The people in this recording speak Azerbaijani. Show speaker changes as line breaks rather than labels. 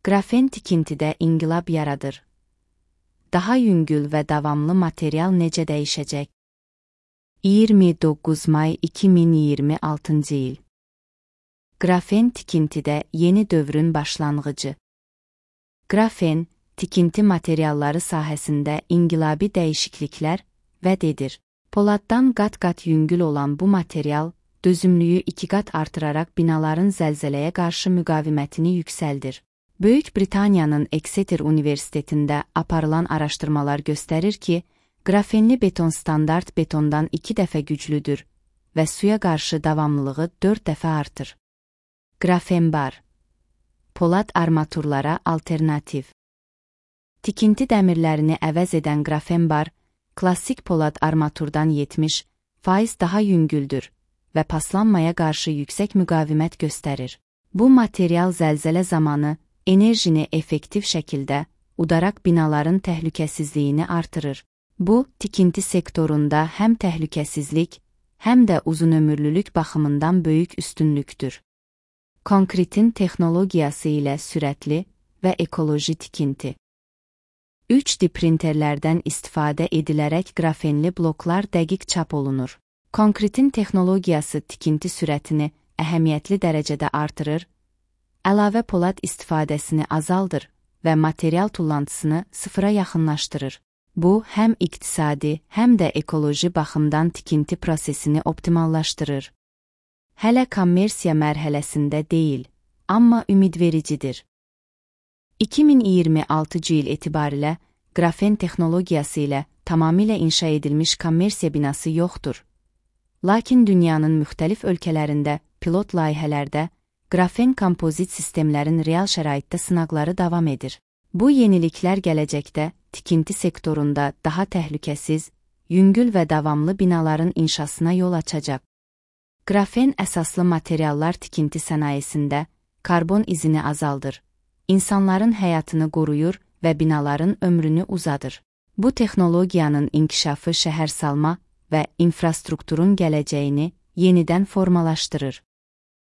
Qrafen tikintidə inqilab yaradır. Daha yüngül və davamlı material necə dəyişəcək? 29 may 2026 il. Qrafen tikintidə yeni dövrün başlanğıcı. Qrafen, tikinti materialları sahəsində inqilabi dəyişikliklər vəd edir. Poladdan qat-qat yüngül olan bu material, dözümlüyü 2 qat artıraraq binaların zəlzələyə qarşı müqavimətini yüksəldir. Böyük Britaniyanın Exeter Universitetində aparılan araşdırmalar göstərir ki, qrafenli beton standart betondan 2 dəfə güclüdür və suya qarşı davamlılığı 4 dəfə artır. Qrafen bar. Polad armaturlara alternativ. Tikinti dəmirlərini əvəz edən qrafen bar, klassik polad armaturdan 70% daha yüngüldür və paslanmaya qarşı yüksək müqavimət göstərir. Bu material zəlzələ zamanı enerjini effektiv şəkildə udaraq binaların təhlükəsizliyini artırır. Bu, tikinti sektorunda həm təhlükəsizlik, həm də uzunömürlülük baxımından böyük üstünlükdür. Konkretin texnologiyası ilə sürətli və ekoloji tikinti. 3D printerlərdən istifadə edilərək qrafenli bloklar dəqiq çap olunur. Konkretin texnologiyası tikinti sürətini əhəmiyyətli dərəcədə artırır, əlavə polad istifadəsini azaldır və material tullantısını sıfıra yaxınlaşdırır. Bu, həm iqtisadi, həm də ekoloji baxımdan tikinti prosesini optimallaşdırır. Hələ kommersiya mərhələsində deyil, amma ümidvericidir. 2026 il etibarilə qrafen texnologiyası ilə tamamilə inşa edilmiş kommersiya binası yoxdur. Lakin dünyanın müxtəlif ölkələrində pilot layihələrdə qrafen kompozit sistemlərin real şəraitdə sınaqları davam edir. Bu yeniliklər gələcəkdə tikinti sektorunda daha təhlükəsiz, yüngül və davamlı binaların inşasına yol açacaq. Qrafen əsaslı materiallar tikinti sənayesində karbon izini azaldır, insanların həyatını qoruyur və binaların ömrünü uzadır. Bu texnologiyanın inkişafı şəhərsalma və infrastrukturun gələcəyini yenidən formalaşdırır.